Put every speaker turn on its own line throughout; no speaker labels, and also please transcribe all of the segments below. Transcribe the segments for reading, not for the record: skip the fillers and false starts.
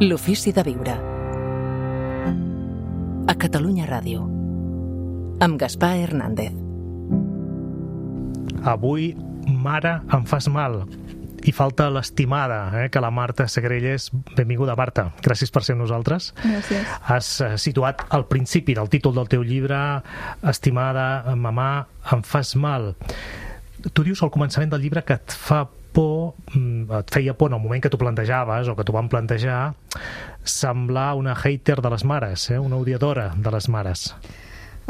L'ofici de viure. A Catalunya Ràdio. Amb Gaspar Hernández.
Avui, mare, em fas mal. I falta l'estimada, que la Marta Segrelles. Benvinguda, Marta. Gràcies per ser amb nosaltres.
Gràcies.
Has situat al principi del títol del teu llibre, estimada, mamà, em fas mal. Tu dius al començament del llibre que et fa por, et feia por en el moment que t'ho plantejaves o que t'ho van plantejar, semblar una hater de les mares, una odiadora de les mares.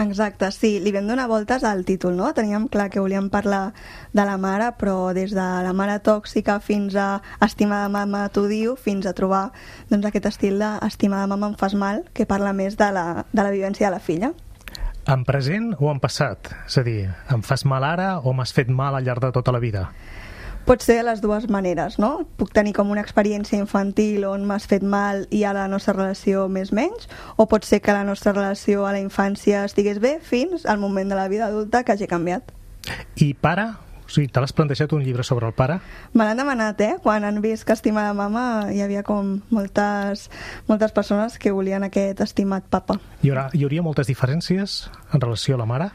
Exacte, sí, li vam donar voltes al títol, no? Teníem clar que volíem parlar de la mare, però des de la mare tòxica fins a estimada mama t'odio, fins a trobar aquest estil d'estimada mama em fas mal, que parla més de la vivència de la filla.
En present o en passat? És a dir, em fas mal ara o m'has fet mal al llarg de tota la vida?
Pot ser de les dues maneres, no? Puc tenir com una experiència infantil on m'has fet mal i ara la nostra relació més menys, o pot ser que la nostra relació a la infància estigués bé fins al moment de la vida adulta que hagi canviat.
I pare? O sigui, te l'has plantejat un llibre sobre el pare?
Me l'han demanat, Quan han vist que estimada mama hi havia com moltes persones que volien aquest estimat papa.
Hi hauria moltes diferències en relació a la mare?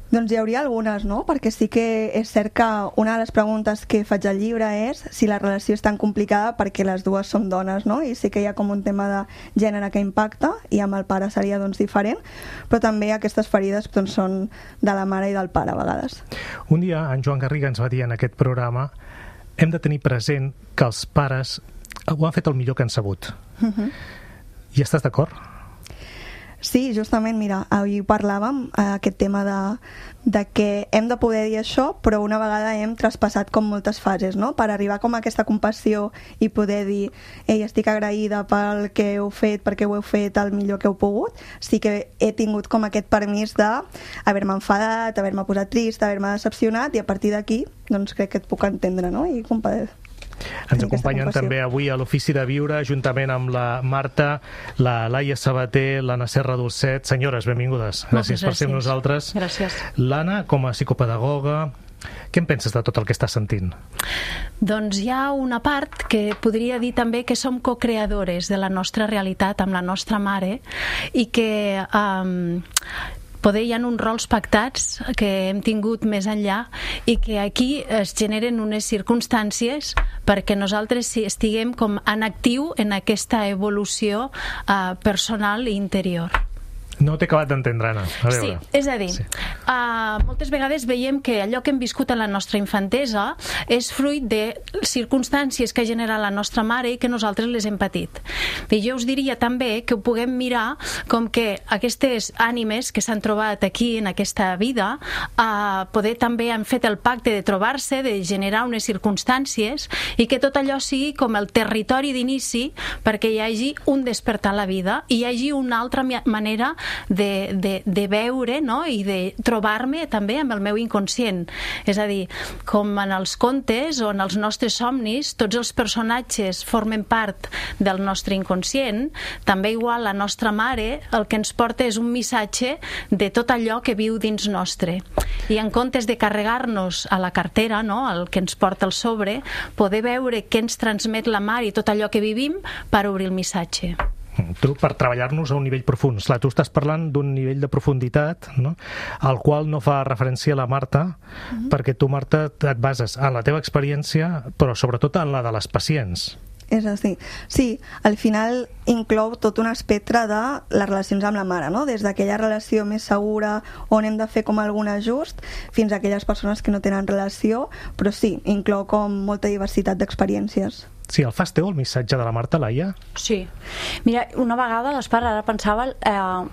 Doncs hi hauria algunes, no? Perquè sí que és cert que una de les preguntes que faig al llibre és si la relació és tan complicada perquè les dues som dones, no? I sí que hi ha com un tema de gènere que impacta i amb el pare seria diferent, però també aquestes ferides són de la mare i del pare a vegades.
Un dia en Joan Garriga ens va dir en aquest programa: hem de tenir present que els pares ho han fet el millor que han sabut. I estàs d'acord?
Sí, justament, mira, avui parlàvem aquest tema de que hem de poder dir això, però una vegada hem traspassat com moltes fases, no? Per arribar com a aquesta compassió i poder dir ei, estic agraïda pel que heu fet, perquè ho heu fet el millor que heu pogut. Sí que he tingut com aquest permís d'haver-me enfadat, haver-me posat trist, haver-me decepcionat, i a partir d'aquí doncs crec que et puc entendre, no? I
ens acompanyen també avui a l'Ofici de Viure, juntament amb la Marta, la Laia Sabater, l'Anna Serra Dolcet. Senyores, benvingudes. Gràcies per ser amb nosaltres.
Gràcies.
L'Anna, com a psicopedagoga, què en penses de tot el que estàs sentint?
Doncs hi ha una part que podria dir també que som co-creadores de la nostra realitat amb la nostra mare i que poder hi ha uns rols pactats que hem tingut més enllà i que aquí es generen unes circumstàncies perquè nosaltres estiguem com en actiu en aquesta evolució personal i interior.
No t'he acabat d'entendre, Anna.
Sí, és a dir, moltes vegades veiem que allò que hem viscut en la nostra infantesa és fruit de circumstàncies que genera la nostra mare i que nosaltres les hem patit. I jo us diria també que ho puguem mirar com que aquestes ànimes que s'han trobat aquí en aquesta vida poder també han fet el pacte de trobar-se, de generar unes circumstàncies i que tot allò sigui com el territori d'inici perquè hi hagi un despertar a la vida i hi hagi una altra manera de veure, no? I de trobar-me també amb el meu inconscient. És a dir, com en els contes o en els nostres somnis tots els personatges formen part del nostre inconscient, també igual la nostra mare el que ens porta és un missatge de tot allò que viu dins nostre. I en comptes de carregar-nos a la cartera, no? El que ens porta al sobre, poder veure què ens transmet la mare i tot allò que vivim per obrir el missatge.
Tu, per treballar-nos a un nivell profund. Esclar, tu estàs parlant d'un nivell de profunditat, no? Al qual no fa referència la Marta, perquè tu, Marta, et bases en la teva experiència, però sobretot en la de les pacients.
És així. Sí, al final inclou tot un espectre de les relacions amb la mare, no? Des d'aquella relació més segura on hem de fer com algun ajust fins a aquelles persones que no tenen relació, però sí, inclou com molta diversitat d'experiències.
Sí, el fas teu, el missatge de la Marta, Laia?
Sí. Mira, una vegada, Gaspar, ara pensava,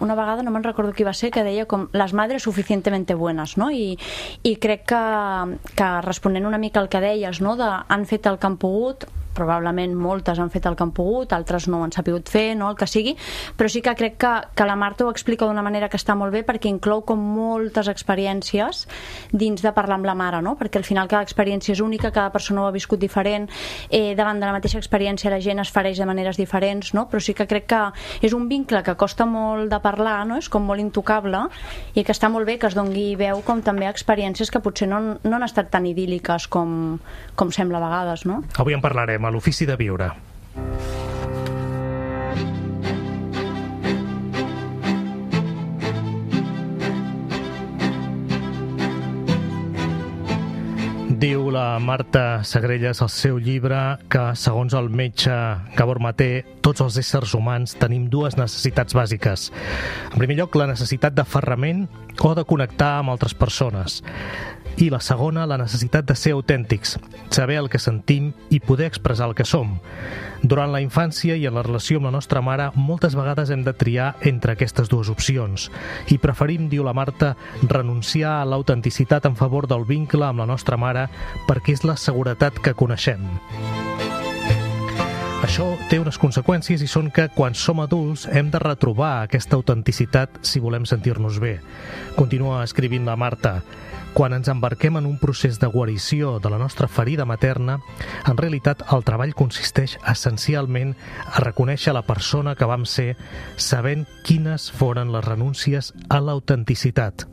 una vegada, no me'n recordo qui va ser, que deia com les madres suficientemente buenas, no? I crec que responent una mica al que deies, no? Han fet el que han pogut, probablement moltes han fet el que han pogut, altres no ho han sapigut fer, no? El que sigui, però sí que crec que la Marta ho explica d'una manera que està molt bé perquè inclou com moltes experiències dins de parlar amb la mare, no? Perquè al final cada experiència és única, cada persona ho ha viscut diferent, davant de la mateixa experiència la gent es fereix de maneres diferents, no? Però sí que crec que és un vincle que costa molt de parlar, no? És com molt intocable i que està molt bé que es doni veu com també a experiències que potser no han estat tan idíl·liques com sembla a vegades, no?
Avui en parlarem a l'Ofici de Viure. la Marta Segrelles al seu llibre que, segons el metge Gabor Maté, tots els éssers humans tenim dues necessitats bàsiques. En primer lloc, la necessitat d'aferrament o de connectar amb altres persones. I la segona, la necessitat de ser autèntics, saber el que sentim i poder expressar el que som. Durant la infància i en la relació amb la nostra mare, moltes vegades hem de triar entre aquestes dues opcions i preferim, diu la Marta, renunciar a l'autenticitat en favor del vincle amb la nostra mare perquè és la seguretat que coneixem. Això té unes conseqüències i són que quan som adults hem de retrobar aquesta autenticitat si volem sentir-nos bé. Continua escrivint la Marta. Quan ens embarquem en un procés de guarició de la nostra ferida materna, en realitat el treball consisteix essencialment a reconèixer la persona que vam ser sabent quines foren les renúncies a l'autenticitat.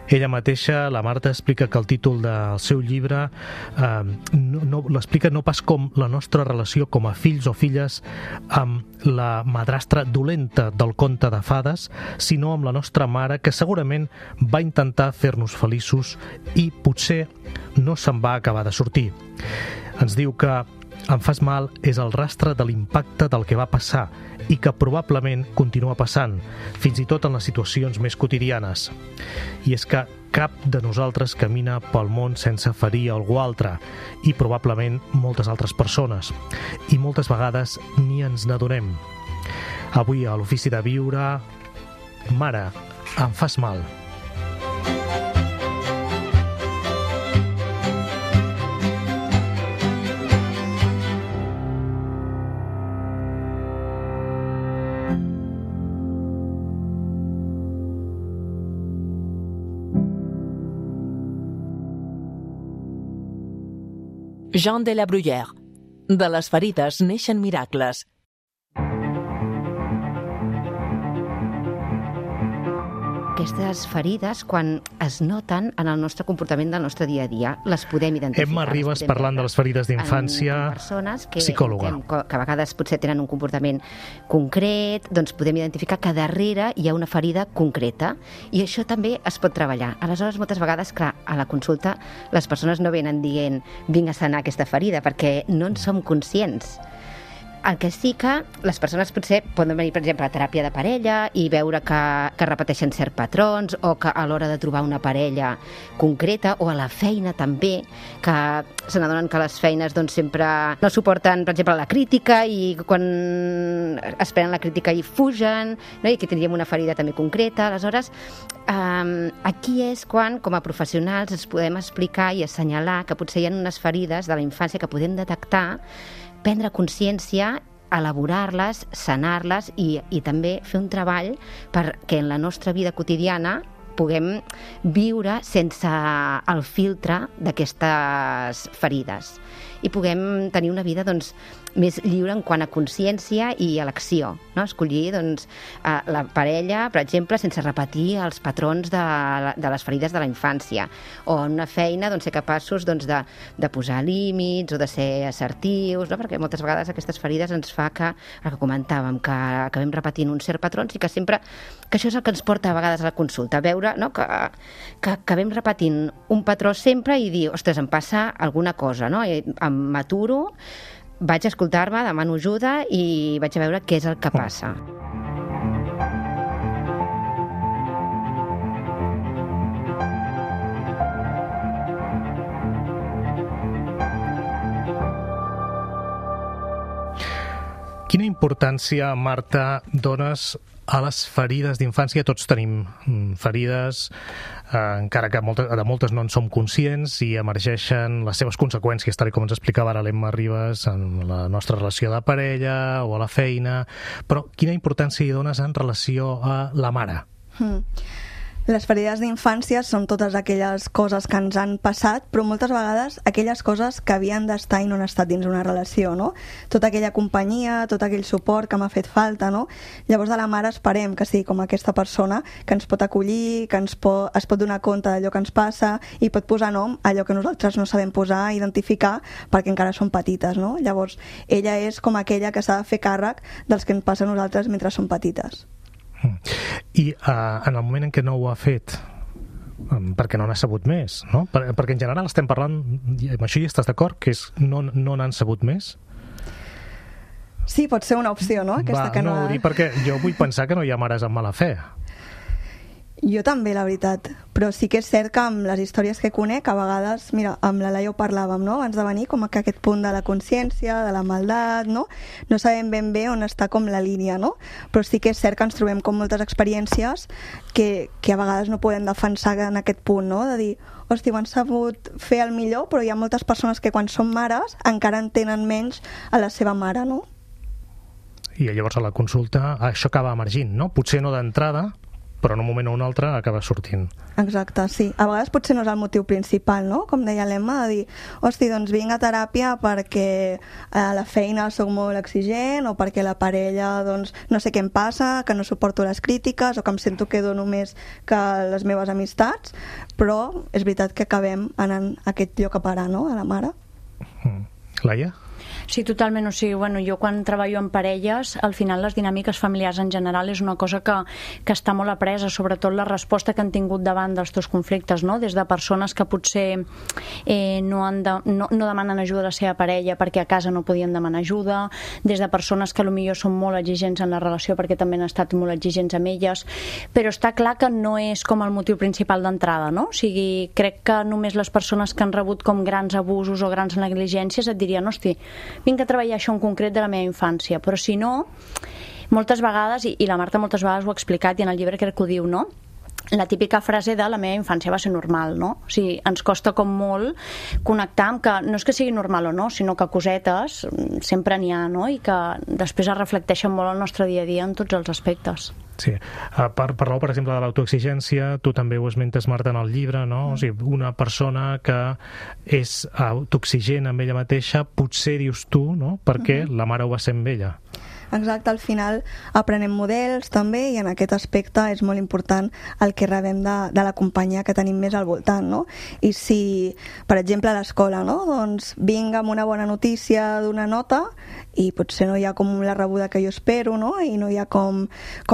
Ella mateixa, la Marta, explica que el títol del seu llibre l'explica no pas com la nostra relació com a fills o filles amb la madrastra dolenta del conte de fades, sinó amb la nostra mare, que segurament va intentar fer-nos feliços i potser no se'n va acabar de sortir. Ens diu que Em fas mal és el rastre de l'impacte del que va passar i que probablement continua passant, fins i tot en les situacions més quotidianes. I és que cap de nosaltres camina pel món sense ferir algú altre, i probablement moltes altres persones. I moltes vegades ni ens n'adonem. Avui a l'Ofici de Viure, Mare, em fas mal.
Jean de la Bruyère. De les ferides neixen miracles.
Aquestes ferides, quan es noten en el nostre comportament del nostre dia a dia, les podem identificar.
Emma Ribas, parlant de les ferides d'infància, psicòloga.
Que a vegades potser tenen un comportament concret, doncs podem identificar que darrere hi ha una ferida concreta, i això també es pot treballar. Aleshores, moltes vegades, clar, a la consulta les persones no venen dient vinc a sanar aquesta ferida, perquè no en som conscients. El que sí que les persones potser poden venir, per exemple, a teràpia de parella i veure que repeteixen certs patrons, o que a l'hora de trobar una parella concreta, o a la feina també, que se n'adonen que les feines doncs, sempre no suporten, per exemple, la crítica, i quan es prenen la crítica hi fugen, no? I aquí tindríem una ferida també concreta. Aleshores, aquí és quan, com a professionals, ens podem explicar i assenyalar que potser hi ha unes ferides de la infància que podem detectar, prendre consciència, elaborar-les, sanar-les i també fer un treball perquè en la nostra vida quotidiana puguem viure sense el filtre d'aquestes ferides i puguem tenir una vida doncs, més lliure en quant a consciència i elecció, no? Escollir doncs, la parella, per exemple, sense repetir els patrons de les ferides de la infància, o en una feina doncs, ser capaços doncs, de posar límits o de ser assertius, no? Perquè moltes vegades aquestes ferides ens fa que, el que comentàvem, que acabem repetint uns certs patrons i que sempre, que això és el que ens porta a vegades a la consulta, veure, no? que acabem repetint un patró sempre i dir, ostres, em passa alguna cosa, no? I m'aturo, vaig a escoltar-me, demano ajuda i vaig a veure què és el que passa.
Quina importància, Marta, dones a les ferides d'infància? Tots tenim ferides, encara que de moltes no en som conscients, i emergeixen les seves conseqüències, tal com ens explicava ara l'Emma Ribas, en la nostra relació de parella o a la feina. Però quina importància hi dones en relació a la mare?
Les ferides d'infància són totes aquelles coses que ens han passat, però moltes vegades aquelles coses que havien d'estar i no han estat dins una relació, no? Tota aquella companyia, tot aquell suport que m'ha fet falta, no? Llavors de la mare esperem que sigui com aquesta persona que ens pot acollir, que es pot donar compte d'allò que ens passa i pot posar nom a allò que nosaltres no sabem posar, identificar, perquè encara som petites, no? Llavors ella és com aquella que s'ha de fer càrrec dels que ens passa a nosaltres mentre som petites.
I en el moment en què no ho ha fet, perquè no n'ha sabut més, no? Perquè en general estem parlant, i amb això hi estàs d'acord, que no n'han sabut més?
Sí, pot ser una opció, no?
No, ho dic perquè jo vull pensar que no hi ha mares amb mala fe.
Jo també, la veritat, però sí que és cert que amb les històries que conec, a vegades, mira, amb la Laia ho parlàvem, no?, abans de venir, com que aquest punt de la consciència, de la maldat, no sabem ben bé on està com la línia, no? Però sí que és cert que ens trobem com moltes experiències que a vegades no podem defensar en aquest punt, no?, de dir, hosti, ho han sabut fer el millor, però hi ha moltes persones que quan són mares encara en tenen menys a la seva mare, no?
I llavors a la consulta això acaba emergint, no? Potser no d'entrada, però en un moment o un altre acaba sortint.
Exacte, sí. A vegades potser no és el motiu principal, no? Com deia l'Emma, de dir, hosti, doncs vinc a teràpia perquè a la feina soc molt exigent o perquè la parella, doncs, no sé què em passa, que no suporto les crítiques o que em sento que dono més que les meves amistats, però és veritat que acabem anant a aquest lloc a parar, no?, a la mare.
Laia?
Sí, totalment. O sigui, bueno, jo quan treballo en parelles, al final les dinàmiques familiars en general és una cosa que està molt apresa, sobretot la resposta que han tingut davant dels teus conflictes, no? Des de persones que potser no demanen ajuda a la seva parella perquè a casa no podien demanar ajuda, des de persones que potser són molt exigents en la relació perquè també han estat molt exigents amb elles, però està clar que no és com el motiu principal d'entrada, no? O sigui, crec que només les persones que han rebut com grans abusos o grans negligències et dirien, hosti, vinc a treballar això en concret de la meva infància, però si no, moltes vegades, i la Marta moltes vegades ho ha explicat i en el llibre crec que ho diu, no?, la típica frase de la meva infància va ser normal, no? O sigui, ens costa com molt connectar amb que no és que sigui normal o no, sinó que cosetes sempre n'hi ha, no? I que després es reflecteixen molt al nostre dia a dia en tots els aspectes.
Sí, parleu, per exemple, de l'autoexigència, tu també ho esmentes, Marta, en el llibre, no? O sigui, una persona que és autoexigent amb ella mateixa, potser dius tu, no?, perquè la mare ho va ser amb ella.
Exacte, al final aprenem models també i en aquest aspecte és molt important el que rebem de la companyia que tenim més al voltant, no? I si, per exemple, a l'escola, no?, doncs vinc amb una bona notícia d'una nota i potser no hi ha com la rebuda que jo espero, no?, i no hi ha com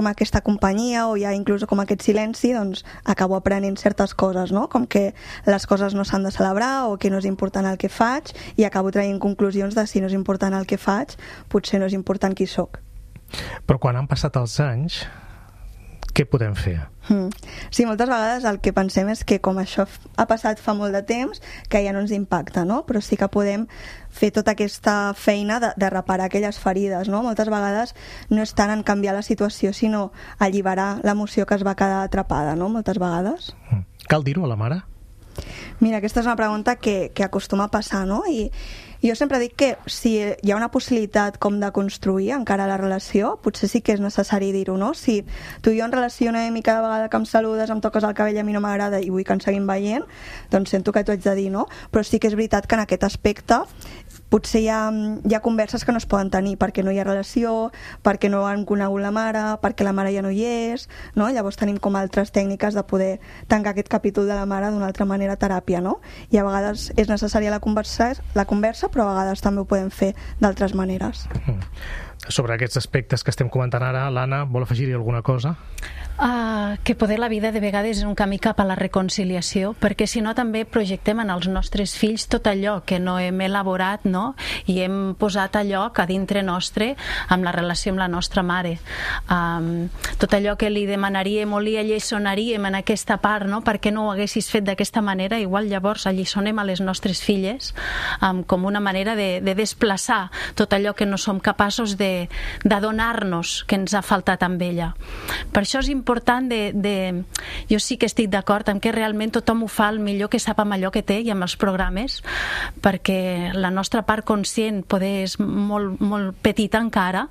aquesta companyia o hi ha inclús com aquest silenci, doncs acabo aprenent certes coses, no?, com que les coses no s'han de celebrar o que no és important el que faig i acabo traient conclusions de si no és important el que faig, potser no és important qui sóc.
Però quan han passat els anys, què podem fer?
Sí, moltes vegades el que pensem és que com això ha passat fa molt de temps, que ja no ens impacta, no? Però sí que podem fer tota aquesta feina de reparar aquelles ferides, no? Moltes vegades no és tant en canviar la situació, sinó alliberar l'emoció que es va quedar atrapada, no? Moltes vegades.
Cal dir-ho a la mare?
Mira, aquesta és una pregunta que acostuma a passar, no? I jo sempre dic que si hi ha una possibilitat com de construir encara la relació, potser sí que és necessari dir-ho, no? Si tu i jo en relacionem i cada vegada que em saludes em toques el cabell a mi no m'agrada i vull que ens seguim veient, doncs sento que t'ho haig de dir, no? Però sí que és veritat que en aquest aspecte potser hi ha converses que no es poden tenir perquè no hi ha relació, perquè no han conegut la mare, perquè la mare ja no hi és, no? Llavors tenim com altres tècniques de poder tancar aquest capítol de la mare d'una altra manera a teràpia, no? I a vegades és necessària la conversa, però a vegades també ho podem fer d'altres maneres.
Sobre aquests aspectes que estem comentant ara, l'Anna, vol afegir-hi alguna cosa?
Que poder la vida de vegades és un camí cap a la reconciliació, perquè si no també projectem en els nostres fills tot allò que no hem elaborat, no? I hem posat a lloc a dintre nostre amb la relació amb la nostra mare. Tot allò que li demanaríem o li alliçonaríem en aquesta part, no? Per què no ho haguessis fet d'aquesta manera? Igual llavors alliçonem a les nostres filles com una manera de desplaçar tot allò que no som capaços de donar-nos que ens ha faltat amb ella. Per això és important jo sí que estic d'acord amb que realment tothom ho fa el millor que sap amb allò que té i amb els programes, perquè la nostra part conscient poder és molt, molt petita encara.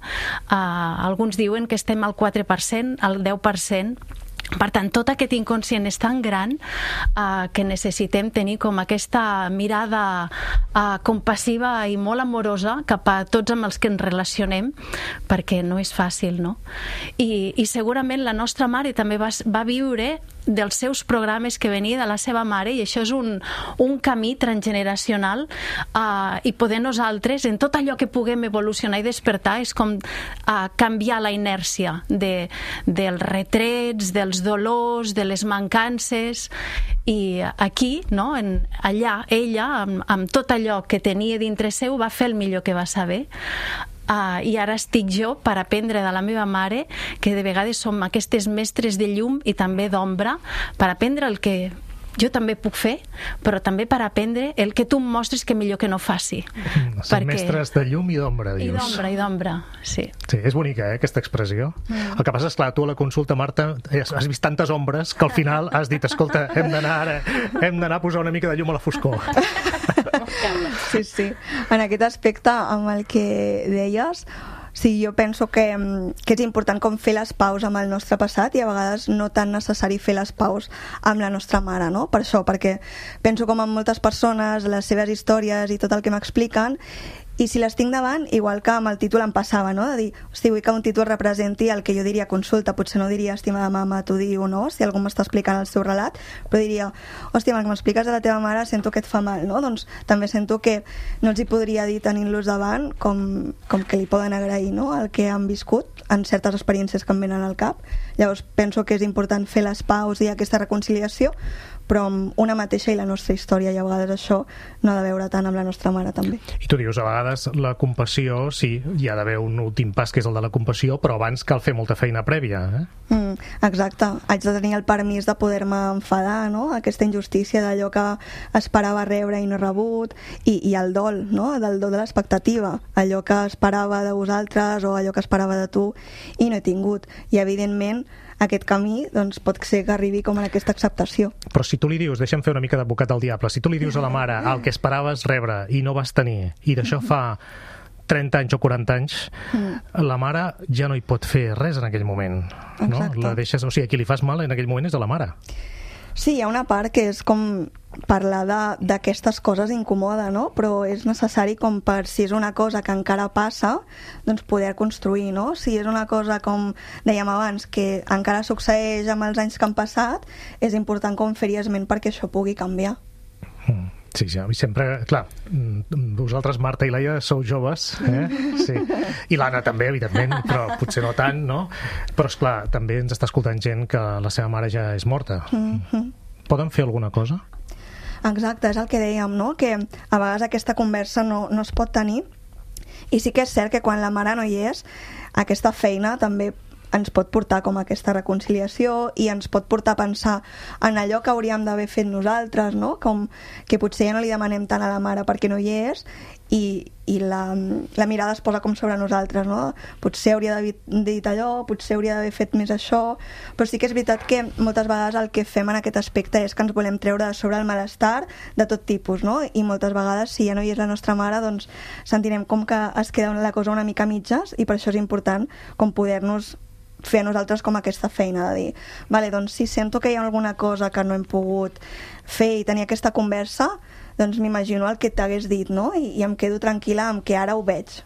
Alguns diuen que estem al 4%, al 10%. Per tant, tot aquest inconscient és tan gran que necessitem tenir com aquesta mirada compassiva i molt amorosa cap a tots amb els que ens relacionem, perquè no és fàcil, no? I segurament la nostra mare també va viure dels seus programes que venia de la seva mare, i això és un camí transgeneracional, i poder nosaltres, en tot allò que puguem evolucionar i despertar, és com canviar la inèrcia dels retrets, dels dolors, de les mancances, i aquí, no? Allà, ella, amb tot allò que tenia dintre seu, va fer el millor que va saber. I ara estic jo per aprendre de la meva mare, que de vegades som aquestes mestres de llum i també d'ombra, per aprendre el que jo també puc fer, però també per aprendre el que tu em mostres que millor que no faci.
Som mestres de llum i d'ombra, dius.
I d'ombra, sí.
Sí, és bonica, aquesta expressió. El que passa és, clar, tu a la consulta, Marta, has vist tantes ombres que al final has dit, escolta, hem d'anar a posar una mica de llum a la foscor.
Sí. En aquest aspecte, amb el que deies, sí, jo penso que és important com fer les paus amb el nostre passat, i a vegades no tan necessari fer les paus amb la nostra mare, no? Per això, perquè penso com amb moltes persones, les seves històries i tot el que m'expliquen, i si les tinc davant, igual que amb el títol em passava, no? De dir, hosti, vull que un títol representi el que jo diria consulta, potser no diria estimada mama, t'ho diu, no? Si algú m'està explicant el seu relat, però diria, hòstia, amb el que m'expliques de la teva mare sento que et fa mal, no? Doncs també sento que no els hi podria dir tenint-los davant com que li poden agrair, no? El que han viscut en certes experiències que em venen al cap. Llavors penso que és important fer les paus i aquesta reconciliació, però amb una mateixa i la nostra història, i a vegades això no ha de veure tant amb la nostra mare també.
I tu dius, a vegades la compassió, sí, hi ha d'haver un últim pas que és el de la compassió, però abans cal fer molta feina prèvia,
Exacte, haig de tenir el permís de poder-me enfadar, no? Aquesta injustícia d'allò que esperava rebre i no he rebut, i el dol, no? Del dol de l'expectativa, allò que esperava de vosaltres o allò que esperava de tu i no he tingut, i evidentment aquest camí doncs, pot ser que arribi com en aquesta acceptació.
Però si tu li dius, deixa'm fer una mica d'advocat del diable, si tu li dius a la mare el que esperaves rebre i no vas tenir, i d'això fa 30 anys o 40 anys, la mare ja no hi pot fer res en aquell moment. No? La deixes, o sigui, a qui li fas mal en aquell moment és a la mare.
Sí, hi ha una part que és com parlar d'aquestes coses incomoda, no? Però és necessari com per, si és una cosa que encara passa, doncs poder construir, no? Si és una cosa, com dèiem abans, que encara succeeix amb els anys que han passat, és important com fer-hi esment perquè això pugui canviar.
Sí, i sempre, clar, vosaltres, Marta i Laia, sou joves, sí. I l'Anna també, evidentment, però potser no tant, no? Però, esclar, també ens està escoltant gent que la seva mare ja és morta. Poden fer alguna cosa?
Exacte, és el que dèiem, no? Que a vegades aquesta conversa no es pot tenir, i sí que és cert que quan la mare no hi és, aquesta feina també ens pot portar com a aquesta reconciliació i ens pot portar a pensar en allò que hauríem d'haver fet nosaltres, no? Com que potser ja no li demanem tant a la mare perquè no hi és, i la mirada es posa com sobre nosaltres, no? Potser hauria d'haver dit allò, potser hauria d'haver fet més això, però sí que és veritat que moltes vegades el que fem en aquest aspecte és que ens volem treure de sobre el malestar de tot tipus, no? I moltes vegades, si ja no hi és la nostra mare, doncs sentirem com que es queda la cosa una mica a mitges, i per això és important com poder-nos fer a nosaltres com aquesta feina de dir, vale, doncs si sento que hi ha alguna cosa que no hem pogut fer i tenir aquesta conversa, doncs m'imagino el que t'hagués dit, no? I em quedo tranquil·la amb que ara ho veig.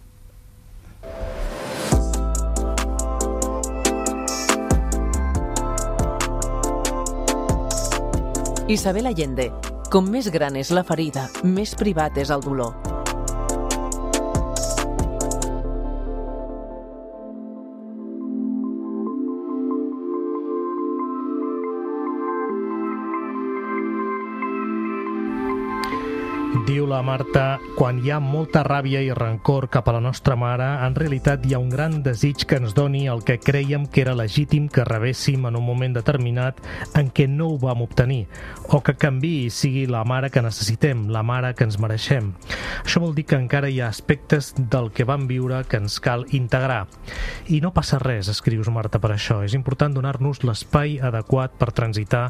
Isabel Allende. Com més gran és la ferida, més privat és el dolor.
Diu la Marta, quan hi ha molta ràbia i rancor cap a la nostra mare, en realitat hi ha un gran desig que ens doni el que crèiem que era legítim que rebéssim en un moment determinat en què no ho vam obtenir, o que canviï i sigui la mare que necessitem, la mare que ens mereixem. Això vol dir que encara hi ha aspectes del que vam viure que ens cal integrar. I no passa res, escrius, Marta, per això. És important donar-nos l'espai adequat per transitar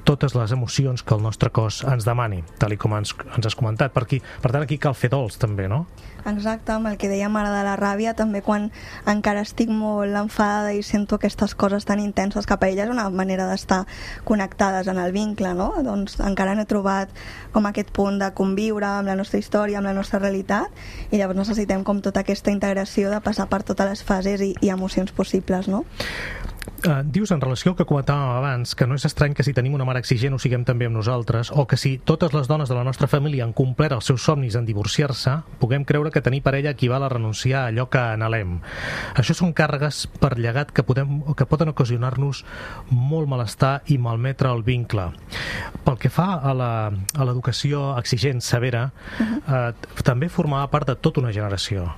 totes les emocions que el nostre cos ens demani, tal com ens has comentat. Per tant, aquí cal fer dols, també, no?
Exacte, amb el que dèiem ara de la ràbia, també quan encara estic molt enfadada i sento aquestes coses tan intenses cap a ella, és una manera d'estar connectades en el vincle, no? Doncs encara no he trobat com aquest punt de conviure amb la nostra història, amb la nostra realitat, i llavors necessitem com tota aquesta integració de passar per totes les fases i emocions possibles, no?
Dius, en relació al que comentàvem abans, que no és estrany que si tenim una mare exigent ho siguem també amb nosaltres, o que si totes les dones de la nostra família han complert els seus somnis en divorciar-se, puguem creure que tenir parella equival a renunciar a allò que anhelem. Això són càrregues per llegat que poden ocasionar-nos molt malestar i malmetre el vincle. Pel que fa a l'educació exigent, severa, també formava part de tota una generació.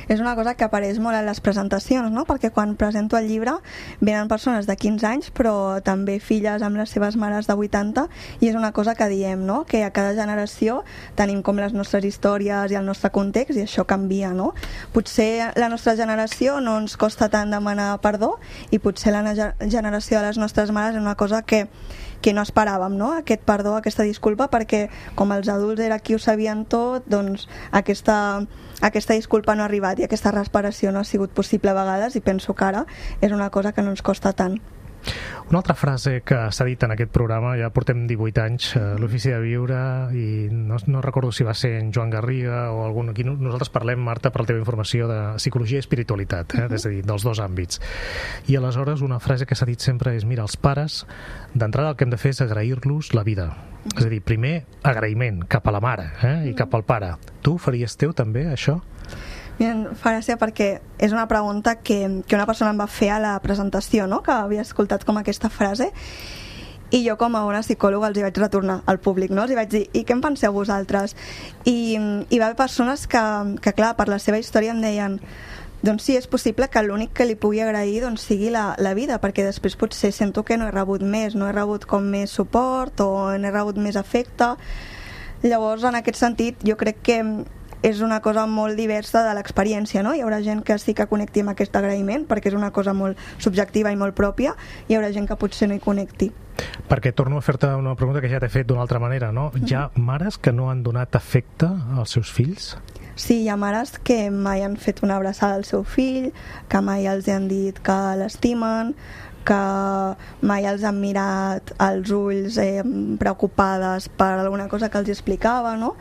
És una cosa que apareix molt en les presentacions, no? Perquè quan presento el llibre venen persones de 15 anys, però també filles amb les seves mares de 80, i és una cosa que diem, no? Que a cada generació tenim com les nostres històries i el nostre context, i això canvia, no? Potser la nostra generació no ens costa tant demanar perdó, i potser la generació de les nostres mares és una cosa que no esperàvem, no? Aquest perdó, aquesta disculpa, perquè com els adults era qui ho sabien tot, doncs aquesta disculpa no ha arribat i aquesta reparació no ha sigut possible a vegades, i penso que ara és una cosa que no ens costa tant.
Una altra frase que s'ha dit en aquest programa, ja portem 18 anys, l'Ofici de Viure, i no recordo si va ser en Joan Garriga o algun... Aquí nosaltres parlem, Marta, per la teva informació, de psicologia i espiritualitat, és a dir, dels dos àmbits. I aleshores una frase que s'ha dit sempre és: mira, els pares, d'entrada el que hem de fer és agrair-los la vida. És a dir, primer agraïment cap a la mare i cap al pare. Tu faries teu també, això?
Em fa gràcia perquè és una pregunta que una persona em va fer a la presentació, no? Que havia escoltat com aquesta frase, i jo com a una psicòloga els hi vaig retornar al públic, no? Els hi vaig dir: i què en penseu vosaltres? I va haver persones que clar, per la seva història em deien: doncs sí, és possible que l'únic que li pugui agrair doncs sigui la vida, perquè després potser sento que no he rebut més, no he rebut com més suport o no he rebut més afecte. Llavors, en aquest sentit, jo crec que és una cosa molt diversa de l'experiència, no? Hi haurà gent que sí que connecti amb aquest agraïment, perquè és una cosa molt subjectiva i molt pròpia, i hi haurà gent que potser no hi connecti.
Perquè torno a fer-te una pregunta que ja t'he fet d'una altra manera, no? Hi ha mares que no han donat afecte als seus fills?
Sí, hi ha mares que mai han fet una abraçada al seu fill, que mai els han dit que l'estimen, que mai els han mirat als ulls preocupades per alguna cosa que els explicava, no?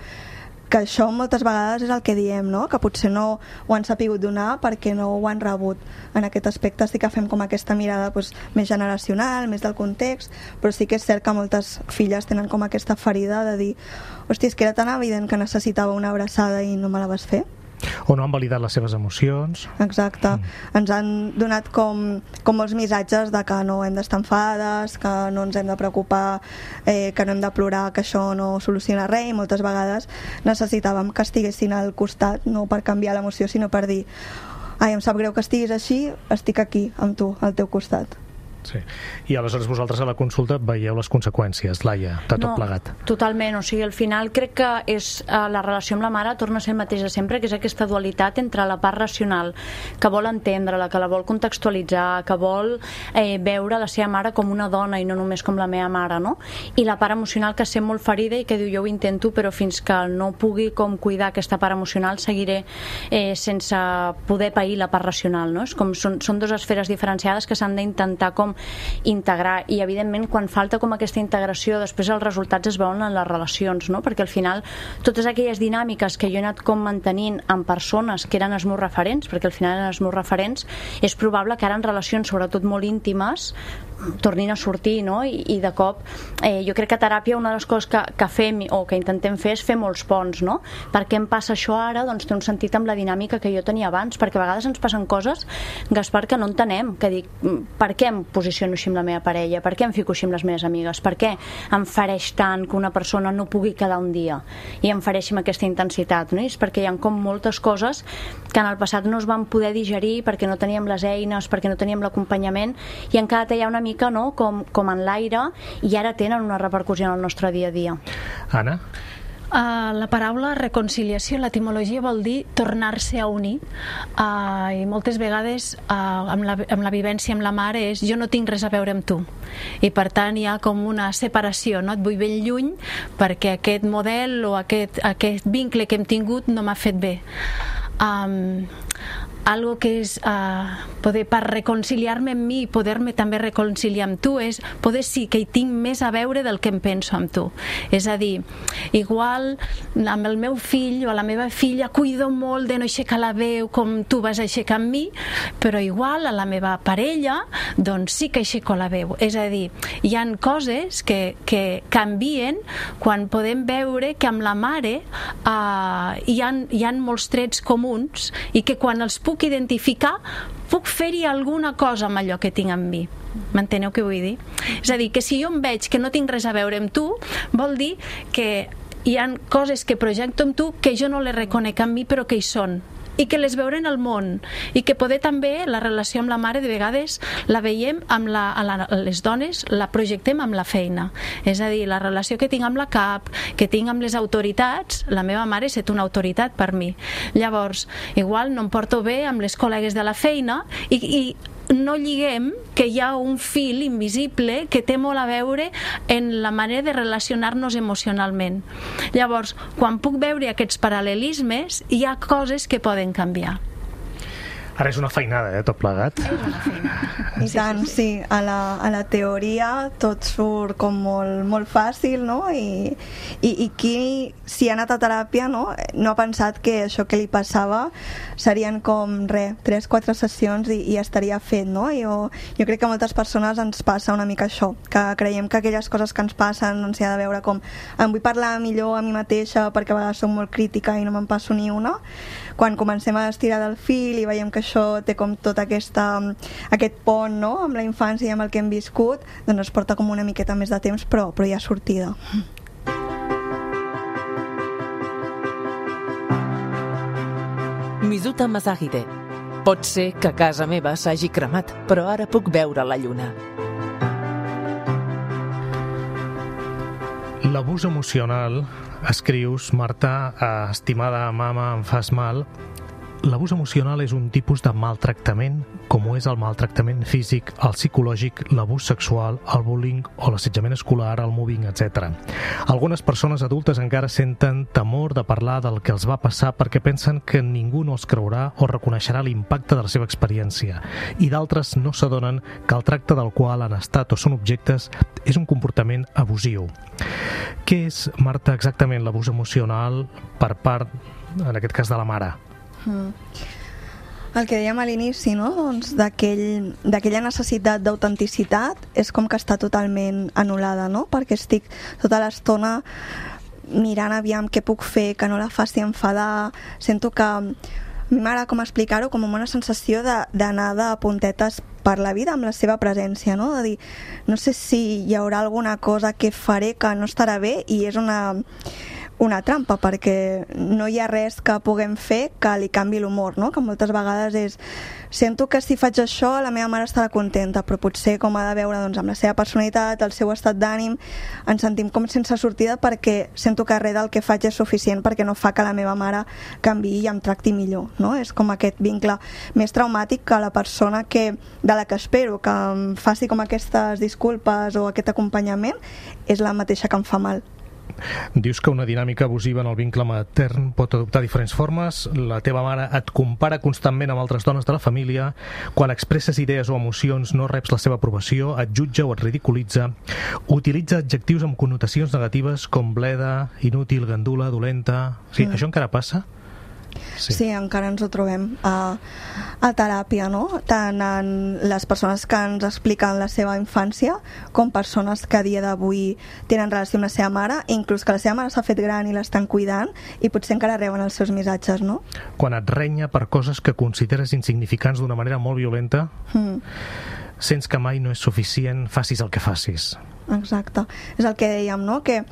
Que això moltes vegades és el que diem, no? Que potser no ho han sapigut donar perquè no ho han rebut. En aquest aspecte sí que fem com aquesta mirada més generacional, més del context, però sí que és cert que moltes filles tenen com aquesta ferida de dir: hòstia, és que era tan evident que necessitava una abraçada i no me la vas fer.
O no han validat les seves emocions.
Exacte. Ens han donat com molts missatges de que no hem d'estar enfadades, que no ens hem de preocupar, que no hem de plorar, que això no soluciona res, i moltes vegades necessitàvem que estiguessin al costat, no per canviar l'emoció, sinó per dir: ai, em sap greu que estiguis així, estic aquí amb tu, al teu costat.
Sí. I aleshores vosaltres a la consulta veieu les conseqüències, Laia, de tot plegat.
Totalment, o sigui, al final crec que és la relació amb la mare torna a ser el mateix de sempre, que és aquesta dualitat entre la part racional, que vol entendre-la, que la vol contextualitzar, que vol veure la seva mare com una dona i no només com la meva mare, no? I la part emocional, que sent molt ferida i que diu: jo ho intento, però fins que no pugui com cuidar aquesta part emocional seguiré sense poder pair la part racional, no? És com, són dues esferes diferenciades que s'han d'intentar com integrar, i evidentment quan falta com aquesta integració després els resultats es veuen en les relacions, no? Perquè al final totes aquelles dinàmiques que jo he anat com mantenint amb persones que eren els meus referents, perquè al final eren els meus referents, és probable que ara en relacions sobretot molt íntimes tornin a sortir, no? I de cop jo crec que a teràpia una de les coses que fem o que intentem fer és fer molts ponts, no? Per què em passa això ara? Doncs té un sentit amb la dinàmica que jo tenia abans, perquè a vegades ens passen coses, Gaspar, que no entenem, que dic: per què em posiciono així amb la meva parella? Per què em fico així amb les meves amigues? Per què em fereix tant que una persona no pugui quedar un dia i em fereixi amb aquesta intensitat, no? I és perquè hi ha com moltes coses que en el passat no es van poder digerir perquè no teníem les eines, perquè no teníem l'acompanyament, i han quedat allà una mica, no? com en l'aire, i ara tenen una repercussió en el nostre dia a dia.
Anna?
La paraula reconciliació, l'etimologia vol dir tornar-se a unir, i moltes vegades amb la vivència amb la mare és: jo no tinc res a veure amb tu, i per tant hi ha com una separació, no? Et vull ben lluny perquè aquest model o aquest vincle que hem tingut no m'ha fet bé. algo que és poder per reconciliar-me amb mi i poder-me també reconciliar amb tu és poder sí que hi tinc més a veure del que em penso amb tu. És a dir, igual amb el meu fill o la meva filla cuido molt de no aixecar la veu com tu vas aixecar amb mi, però igual a la meva parella doncs sí que aixeco la veu. És a dir, hi ha coses que canvien quan podem veure que amb la mare hi ha molts trets comuns i que quan els puc identificar puc fer-hi alguna cosa amb allò que tinc amb mi. M'enteneu què vull dir? És a dir, que si jo em veig que no tinc res a veure amb tu, vol dir que hi ha coses que projecto amb tu que jo no les reconec amb mi però que hi són i que les veuré en el món i que poder també la relació amb la mare de vegades la veiem amb les dones la projectem amb la feina, és a dir, la relació que tinc amb la cap, que tinc amb les autoritats, la meva mare és una autoritat per mi, llavors igual no em porto bé amb les col·legues de la feina i no lliguem que hi ha un fil invisible que té molt a veure en la manera de relacionar-nos emocionalment. Llavors, quan puc veure aquests paral·lelismes, hi ha coses que poden canviar.
Ara és una feinada, tot plegat.
És una feinada.
I tant, sí. A la teoria tot surt com molt fàcil, no? I qui, si ha anat a teràpia, no ha pensat que això que li passava serien com 3-4 sessions i estaria fet, no? Jo crec que a moltes persones ens passa una mica això, que creiem que aquelles coses que ens passen doncs hi ha de veure com em vull parlar millor a mi mateixa perquè a vegades soc molt crítica i no me'n passo ni una. Quan comencem a estirar del fil i veiem que això té com tot aquest pont, no?, amb la infància i amb el que hem viscut, doncs ens porta com una miqueta més de temps, però hi ha sortida.
Mizuta Masahide. Pot ser que casa meva s'hagi cremat, però ara puc veure la lluna.
L'abús emocional, escrius, Marta, estimada mama, em fas mal. L'abús emocional és un tipus de maltractament, com ho és el maltractament físic, el psicològic, l'abús sexual, el bullying o l'assetjament escolar, el mobbing, etc. Algunes persones adultes encara senten temor de parlar del que els va passar perquè pensen que ningú no els creurà o reconeixerà l'impacte de la seva experiència, i d'altres no s'adonen que el tracte del qual han estat o són objectes és un comportament abusiu. Què és, Marta, exactament l'abús emocional per part, en aquest cas, de la mare?
El que dèiem a l'inici, no? Doncs d'aquella necessitat d'autenticitat és com que està totalment anul·lada, no? Perquè estic tota l'estona mirant aviam què puc fer, que no la faci enfadar. Sento que a mi m'agrada com explicar-ho com una sensació d'anar de puntetes per la vida amb la seva presència, no? De dir, no sé si hi haurà alguna cosa que faré que no estarà bé i és una trampa, perquè no hi ha res que puguem fer que li canvi l'humor, no? Que moltes vegades és sento que si faig això la meva mare estarà contenta, però potser com ha de veure doncs, amb la seva personalitat, el seu estat d'ànim, ens sentim com sense sortida perquè sento que res del que faig és suficient perquè no fa que la meva mare canviï i em tracti millor, no? És com aquest vincle més traumàtic que la persona de la que espero que em faci com aquestes disculpes o aquest acompanyament és la mateixa que em fa mal.
Dius que una dinàmica abusiva en el vincle matern pot adoptar diferents formes. La teva mare et compara constantment amb altres dones de la família. Quan expresses idees o emocions no reps la seva aprovació, et jutja o et ridiculitza. Utilitza adjectius amb connotacions negatives com bleda, inútil, gandula, dolenta... Sí, això encara passa?
Sí, encara ens ho trobem a teràpia, no? Tant en les persones que ens expliquen la seva infància com persones que a dia d'avui tenen relació amb la seva mare, inclús que la seva mare s'ha fet gran i l'estan cuidant i potser encara reben els seus missatges, no?
Quan et renya per coses que consideres insignificants d'una manera molt violenta, sents que mai no és suficient, facis el que facis.
Exacte. És el que dèiem, no? Que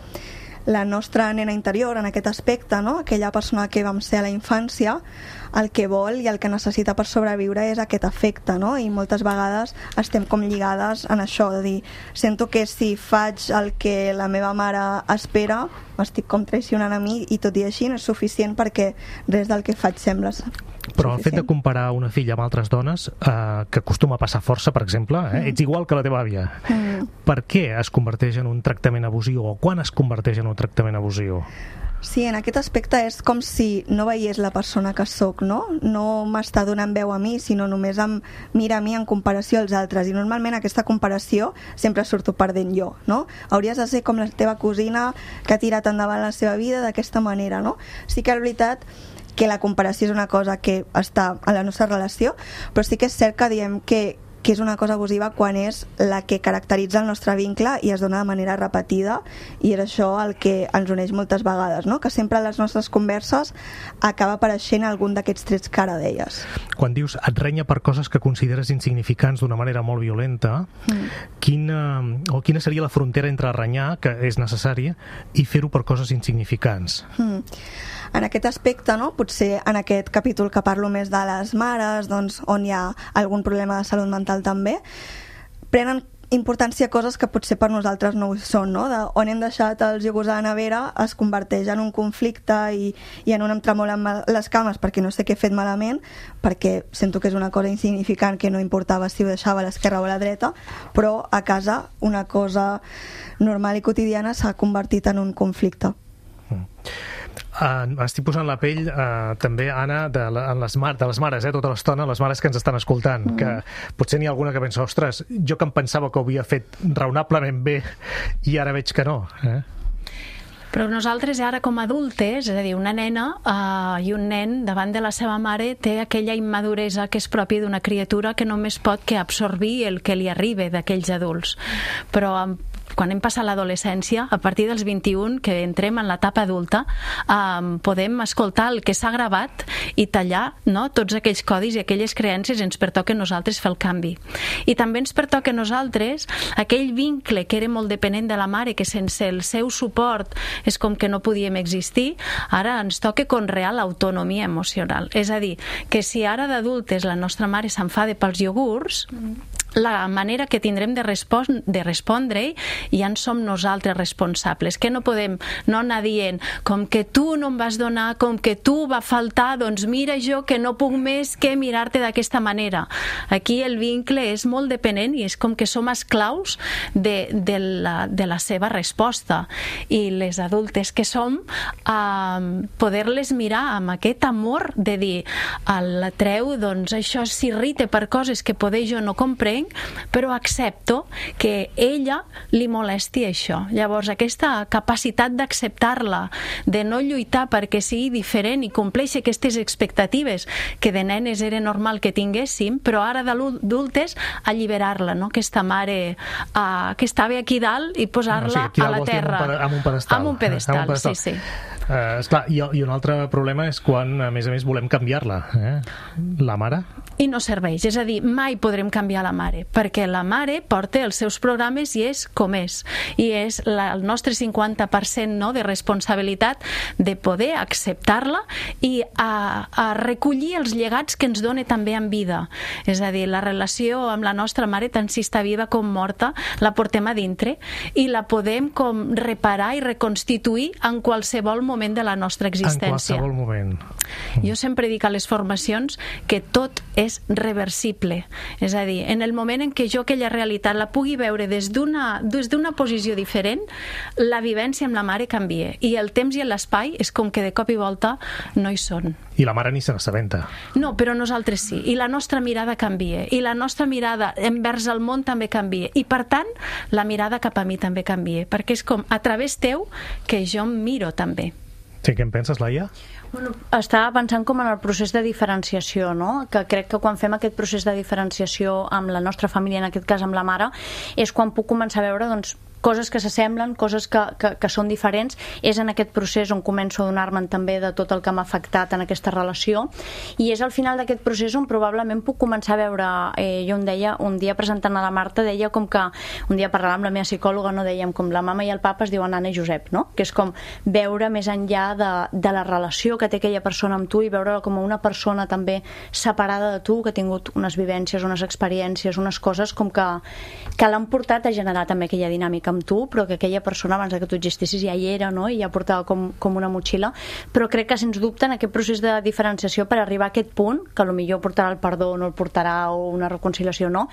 la nostra nena interior en aquest aspecte, no? Aquella persona que vam ser a la infància, el que vol i el que necessita per sobreviure és aquest afecte, no? I moltes vegades estem com lligades en això, de dir, sento que si faig el que la meva mare espera, m'estic com traicionant a mi i tot i així no és suficient perquè res del que faig sembla
però el fet de comparar una filla amb altres dones, que acostuma a passar força, per exemple, ets igual que la teva àvia. Per què es converteix en un tractament abusiu o quan es converteix en un tractament abusiu?
Sí, en aquest aspecte és com si no veiés la persona que sóc, no? No m'està donant veu a mi, sinó només em mira a mi en comparació als altres. I normalment aquesta comparació sempre surto perdent jo, no? Hauries de ser com la teva cosina que ha tirat endavant la seva vida d'aquesta manera, no? Sí que és veritat que la comparació és una cosa que està a la nostra relació, però sí que és cert que diem que és una cosa abusiva quan és la que caracteritza el nostre vincle i es dona de manera repetida, i és això el que ens uneix moltes vegades, no? Que sempre a les nostres converses acaba apareixent algun d'aquests trets que ara deies.
Quan dius et renya per coses que consideres insignificants d'una manera molt violenta, quina seria la frontera entre renyar, que és necessari, i fer-ho per coses insignificants?
En aquest aspecte, no? Potser en aquest capítol que parlo més de les mares, doncs, on hi ha algun problema de salut mental també, prenen importància coses que potser per nosaltres no ho són, no? On hem deixat els iogurts a la nevera es converteix en un conflicte i en un em tremolen les cames perquè no sé què he fet malament, perquè sento que és una cosa insignificant que no importava si ho deixava a l'esquerra o a la dreta, però a casa una cosa normal i quotidiana s'ha convertit en un conflicte.
Estic posant la pell també, Anna, de les mares, tota l'estona, les mares que ens estan escoltant, que potser n'hi ha alguna que pensa, ostres, jo que em pensava que ho havia fet raonablement bé i ara veig que no.
Però nosaltres ara com a adultes, és a dir, una nena i un nen davant de la seva mare té aquella immaduresa que és pròpia d'una criatura que només pot que absorbir el que li arriba d'aquells adults. Però quan hem passat l'adolescència, a partir dels 21, que entrem en l'etapa adulta, podem escoltar el que s'ha gravat i tallar, no? Tots aquells codis i aquelles creences. Ens pertoca a nosaltres fer el canvi. I també ens pertoca a nosaltres aquell vincle que era molt dependent de la mare, que sense el seu suport és com que no podíem existir, ara ens toca conrear l'autonomia emocional. És a dir, que si ara d'adultes la nostra mare s'enfada pels iogurts, la manera que tindrem de respondre ja en som nosaltres responsables, que no podem no anar dient com que tu no em vas donar, com que tu va faltar, doncs mira jo que no puc més que mirar-te d'aquesta manera. Aquí el vincle és molt dependent i és com que som esclaus de la seva resposta, i les adultes que som poder-les mirar amb aquest amor de dir la Treu, doncs això s'irrita per coses que poder jo no comprenc, però accepto que ella li molesti això. Llavors aquesta capacitat d'acceptar-la, de no lluitar perquè sigui diferent i compleixi aquestes expectatives que de nenes era normal que tinguéssim, però ara d'adultes alliberar-la, no? Aquesta mare que estava aquí dalt i posar-la a la terra
amb un pedestal.
Sí.
Esclar, i un altre problema és quan a més volem canviar-la, la mare.
I no serveix, és a dir, mai podrem canviar la mare, perquè la mare porta els seus programes i és com és, i és el nostre 50% de responsabilitat de poder acceptar-la i a recollir els llegats que ens dona també en vida. És a dir, la relació amb la nostra mare, tant si està viva com morta, la portem a dintre i la podem com reparar i reconstituir en qualsevol moment de la nostra existència.
En qualsevol moment.
Jo sempre dic a les formacions que tot és reversible. És a dir, en el moment en què jo aquella realitat la pugui veure des d'una posició diferent, la vivència amb la mare canvia. I el temps i l'espai és com que de cop i volta no hi són.
I la mare ni se n'assabenta.
No, però nosaltres sí. I la nostra mirada canvia. I la nostra mirada envers el món també canvia. I per tant, la mirada cap a mi també canvia. Perquè és com a través teu que jo em miro també.
Sí, què en penses, Laia?
Bueno, estava pensant com en el procés de diferenciació, no? Que crec que quan fem aquest procés de diferenciació amb la nostra família, en aquest cas amb la mare, és quan puc començar a veure, doncs, coses que s'assemblen, coses que són diferents. És en aquest procés on començo a donar-me'n també de tot el que m'ha afectat en aquesta relació, i és al final d'aquest procés on probablement puc començar a veure, jo em deia, un dia presentant a la Marta, deia com que, un dia parlant amb la meva psicòloga, no, dèiem com la mama i el papa es diuen Anna i Josep, no? Que és com veure més enllà de la relació que té aquella persona amb tu i veure-la com una persona també separada de tu, que ha tingut unes vivències, unes experiències, unes coses com que l'han portat a generar també aquella dinàmica amb tu, però que aquella persona abans que tu existissis ja hi era, no? I ja portava com una motxilla. Però crec que sens dubte en aquest procés de diferenciació, per arribar a aquest punt, que potser portarà el perdó, no el portarà, o una reconciliació no,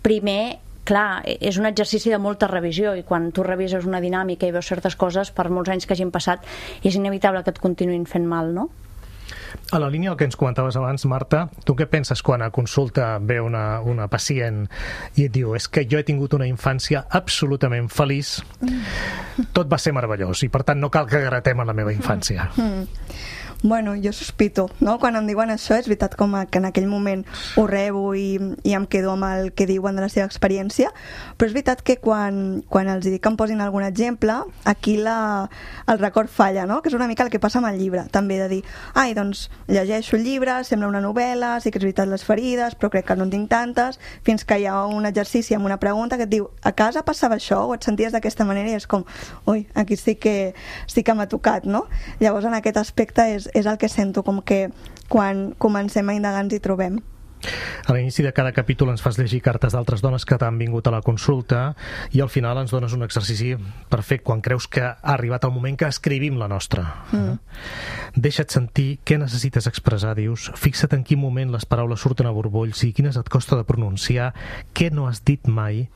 primer clar, és un exercici de molta revisió, i quan tu revises una dinàmica i veus certes coses, per molts anys que hagin passat, és inevitable que et continuïn fent mal, no?
A la línia del que ens comentaves abans, Marta, tu què penses quan a consulta ve una pacient i et diu, és que jo he tingut una infància absolutament feliç, tot va ser meravellós i per tant no cal que gratem en la meva infància?
Bueno, jo sospito, no? Quan em diuen això, és veritat com que en aquell moment ho rebo i em quedo amb el que diuen de la seva experiència, però és veritat que quan els dic que em posin algun exemple, aquí el record falla, no? Que és una mica el que passa amb el llibre, també de dir, ai, doncs llegeixo el llibre, sembla una novel·la, sí que és veritat les ferides, però crec que no en tinc tantes, fins que hi ha un exercici amb una pregunta que et diu, a casa passava això o et senties d'aquesta manera, i és com, ui, aquí sí que m'ha tocat, no? Llavors en aquest aspecte és el que sento, com que quan comencem a indagar ens hi trobem.
A l'inici de cada capítol ens fas llegir cartes d'altres dones que t'han vingut a la consulta i al final ens dones un exercici perfecte quan creus que ha arribat el moment que escrivim la nostra. Deixa't sentir què necessites expressar, dius, fixa't en quin moment les paraules surten a borbolls i quines et costa de pronunciar, què no has dit mai,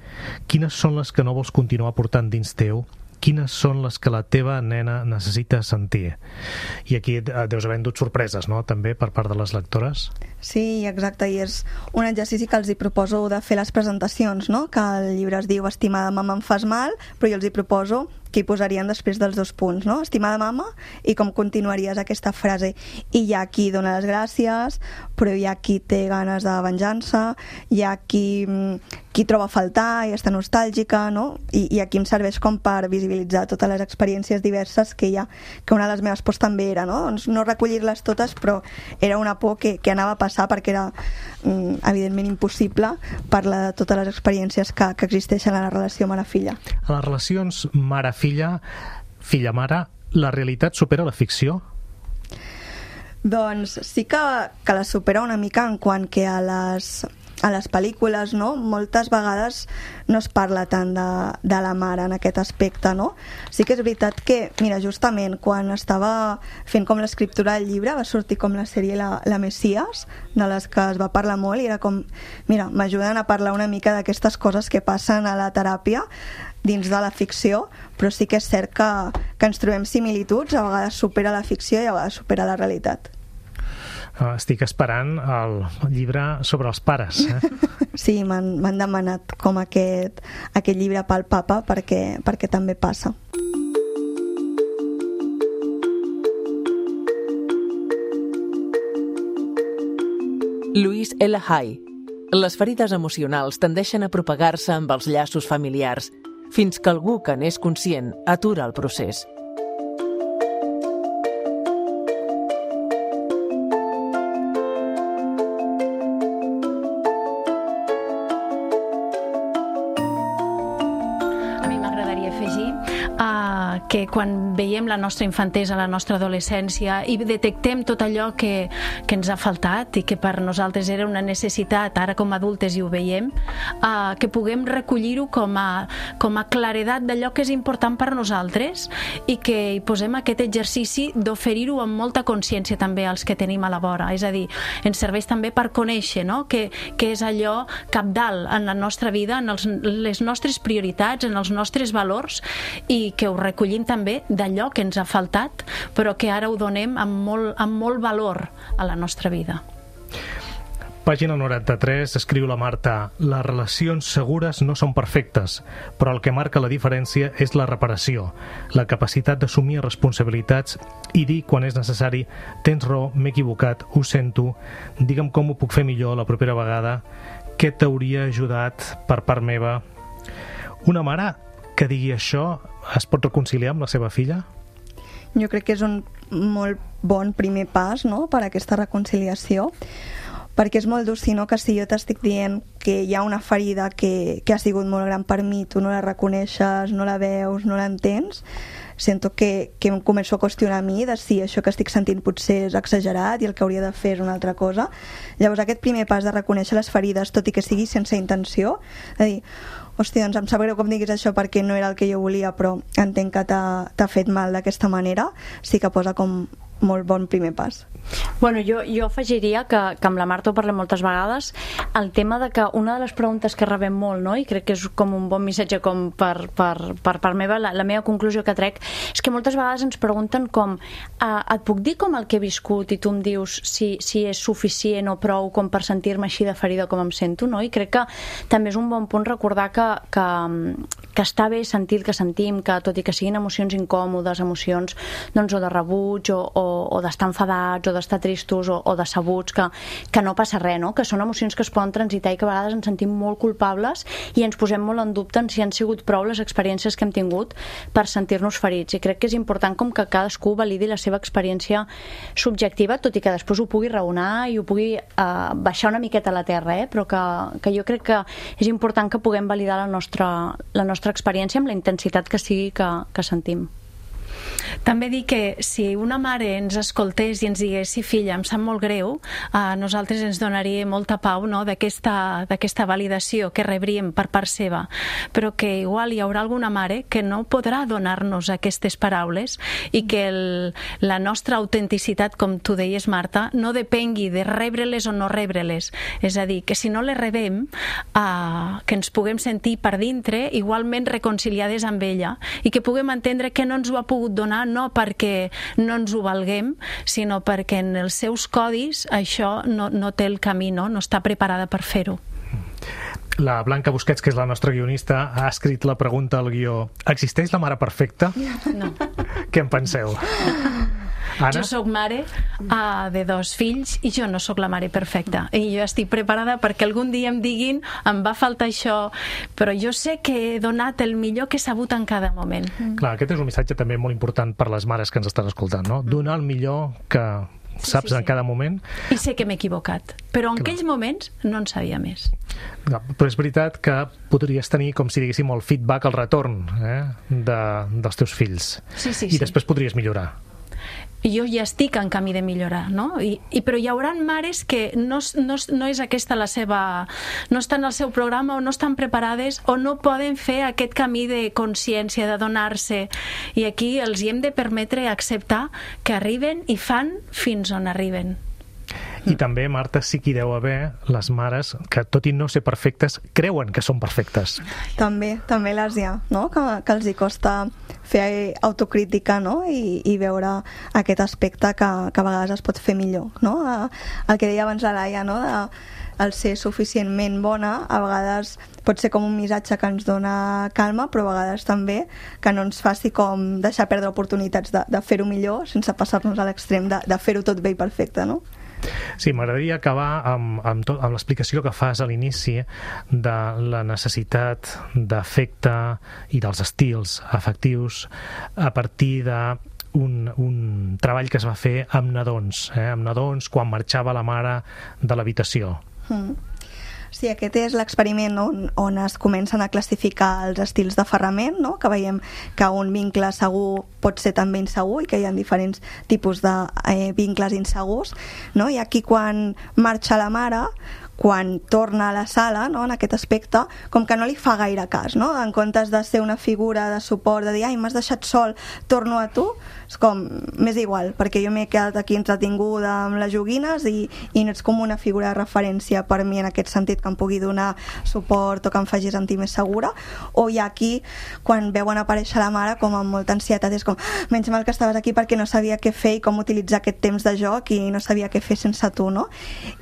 quines són les que no vols continuar portant dins teu, quines són les que la teva nena necessita sentir. I aquí deus haver endut sorpreses, no?, també per part de les lectores.
Sí, exacte, i és un exercici que els hi proposo de fer les presentacions, no?, que el llibre es diu Estimada mama em fas mal, però jo els hi proposo que hi posarien després dels 2 punts, no? Estimada mama, i com continuaries aquesta frase. I hi ha qui dona les gràcies, però hi ha qui té ganes de venjança, hi ha qui troba a faltar i està nostàlgica, no? I aquí em serveix com per visibilitzar totes les experiències diverses que hi ha, que una de les meves pors també era, no? Doncs no recollir-les totes, però era una por que anava a passar perquè era evidentment impossible parlar de totes les experiències que existeixen a la relació mare-filla.
A les relacions mare-filla, filla-mare, la realitat supera la ficció?
Doncs sí que la supera una mica en quant que a les pel·lícules, no? Moltes vegades no es parla tant de la mare en aquest aspecte, no? Sí que és veritat que, mira, justament quan estava fent com l'escriptura del llibre va sortir com la sèrie La Messias, de les que es va parlar molt, i era com, mira, m'ajuden a parlar una mica d'aquestes coses que passen a la teràpia dins de la ficció, però sí que és cert que ens trobem similituds, a vegades supera la ficció i a vegades supera la realitat.
Estic esperant el llibre sobre els pares.
Sí, m'han demanat com aquest llibre pel papa perquè també passa.
Louise L. Hay. Les ferides emocionals tendeixen a propagar-se amb els llaços familiars, fins que algú que n'és conscient atura el procés.
Que quan veiem la nostra infantesa, la nostra adolescència i detectem tot allò que ens ha faltat i que per nosaltres era una necessitat, ara com a adultes i ho veiem, que puguem recollir-ho com a claredat d'allò que és important per nosaltres i que hi posem aquest exercici d'oferir-ho amb molta consciència també als que tenim a la vora. És a dir, ens serveix també per conèixer, no?, que és allò cabdal en la nostra vida, en les nostres prioritats, en els nostres valors, i que ho recollim també d'allò que ens ha faltat, però que ara ho donem amb molt valor a la nostra vida.
Pàgina 93, escriu la Marta: les relacions segures no són perfectes, però el que marca la diferència és la reparació, la capacitat d'assumir responsabilitats i dir quan és necessari: tens raó, m'he equivocat, ho sento, digue'm com ho puc fer millor la propera vegada, què t'hauria ajudat per part meva. Una mare que digui això es pot reconciliar amb la seva filla?
Jo crec que és un molt bon primer pas, no?, per a aquesta reconciliació, perquè és molt dur, si no, que si jo t'estic dient que hi ha una ferida que ha sigut molt gran per mi, tu no la reconeixes, no la veus, no l'entens, sento que em començo a qüestionar a mi de si això que estic sentint potser és exagerat i el que hauria de fer és una altra cosa. Llavors aquest primer pas de reconèixer les ferides, tot i que sigui sense intenció, de dir, hòstia, doncs em sap greu que em diguis això perquè no era el que jo volia, però entenc que t'ha fet mal d'aquesta manera, sí que posa com molt bon primer pas.
Bueno, jo afegiria que amb la Marta ho parlem moltes vegades, el tema de que una de les preguntes que rebem molt, no? I crec que és com un bon missatge com per part meva, la meva conclusió que trec és que moltes vegades ens pregunten com et puc dir com el que he viscut i tu em dius si és suficient o prou com per sentir-me així de ferida com em sento, no? I crec que també és un bon punt recordar que està bé sentir el que sentim, que tot i que siguin emocions incòmodes, emocions doncs, o de rebuig o d'estar enfadats o d'estar tristos o decebuts, que no passa res, no? Que són emocions que es poden transitar i que a vegades ens sentim molt culpables i ens posem molt en dubte en si han sigut prou les experiències que hem tingut per sentir-nos ferits. I crec que és important com que cadascú validi la seva experiència subjectiva, tot i que després ho pugui raonar i ho pugui baixar una miqueta a la terra, però que jo crec que és important que puguem validar la nostra experiència amb la intensitat que sigui que sentim.
També dic que si una mare ens escoltés i ens digués sí, filla, em sap molt greu, a nosaltres ens donaria molta pau, no?, d'aquesta validació que rebríem per part seva, però que igual hi haurà alguna mare que no podrà donar-nos aquestes paraules i que la nostra autenticitat, com tu deies, Marta, no depengui de rebre-les o no rebre-les. És a dir, que si no les rebem, que ens puguem sentir per dintre igualment reconciliades amb ella i que puguem entendre que no ens ho ha pogut donar no perquè no ens ho valguem, sinó perquè en els seus codis això no té el camí, no està preparada per fer-ho.
La Blanca Busquets, que és la nostra guionista, ha escrit la pregunta al guió: existeix la mare perfecta?
No.
Què en penseu? Anna?
Jo sóc mare de 2 fills i jo no sóc la mare perfecta i jo estic preparada perquè algun dia em diguin em va faltar això, però jo sé que he donat el millor que he sabut en cada moment.
Clar, aquest és un missatge també molt important per les mares que ens estan escoltant, no? Donar el millor que saps en cada moment.
I sé que m'he equivocat, però en aquells moments no en sabia més.
Però és veritat que podries tenir, com si diguéssim, el feedback, el retorn dels teus fills. I després podries millorar.
Jo ja estic en camí de millorar, no? Però hi haurà mares que no és aquesta la seva... no estan al seu programa o no estan preparades o no poden fer aquest camí de consciència, de donar-se. I aquí els hi hem de permetre acceptar que arriben i fan fins on arriben.
I també, Marta, sí que hi deu haver les mares que, tot i no ser perfectes, creuen que són perfectes.
També les hi ha, no? Que els hi costa fer autocrítica, no? I veure aquest aspecte que a vegades es pot fer millor, no? El que deia abans la Laia, no? El ser suficientment bona a vegades pot ser com un missatge que ens dona calma, però a vegades també que no ens faci com deixar perdre oportunitats de fer-ho millor sense passar-nos a l'extrem de fer-ho tot bé i perfecte, no?
Sí, m'agradaria acabar amb l'explicació que fas a l'inici de la necessitat d'afecte i dels estils afectius a partir d'un treball que es va fer amb nadons quan marxava la mare de l'habitació.
Sí, aquest és l'experiment on es comencen a classificar els estils d'aferrament, no? Que veiem que un vincle segur pot ser també insegur i que hi ha diferents tipus de vincles insegurs, no? I aquí quan marxa la mare, quan torna a la sala, no? En aquest aspecte, com que no li fa gaire cas, no? En comptes de ser una figura de suport, de dir, ai, m'has deixat sol, torno a tu, és com, m'és igual, perquè jo m'he quedat aquí entretinguda amb les joguines i no ets com una figura de referència per mi en aquest sentit, que em pugui donar suport o que em faci sentir més segura. O hi ha aquí, quan veuen aparèixer la mare com amb molta ansietat, és com, menys mal que estaves aquí perquè no sabia què fer i com utilitzar aquest temps de joc i no sabia què fer sense tu, no?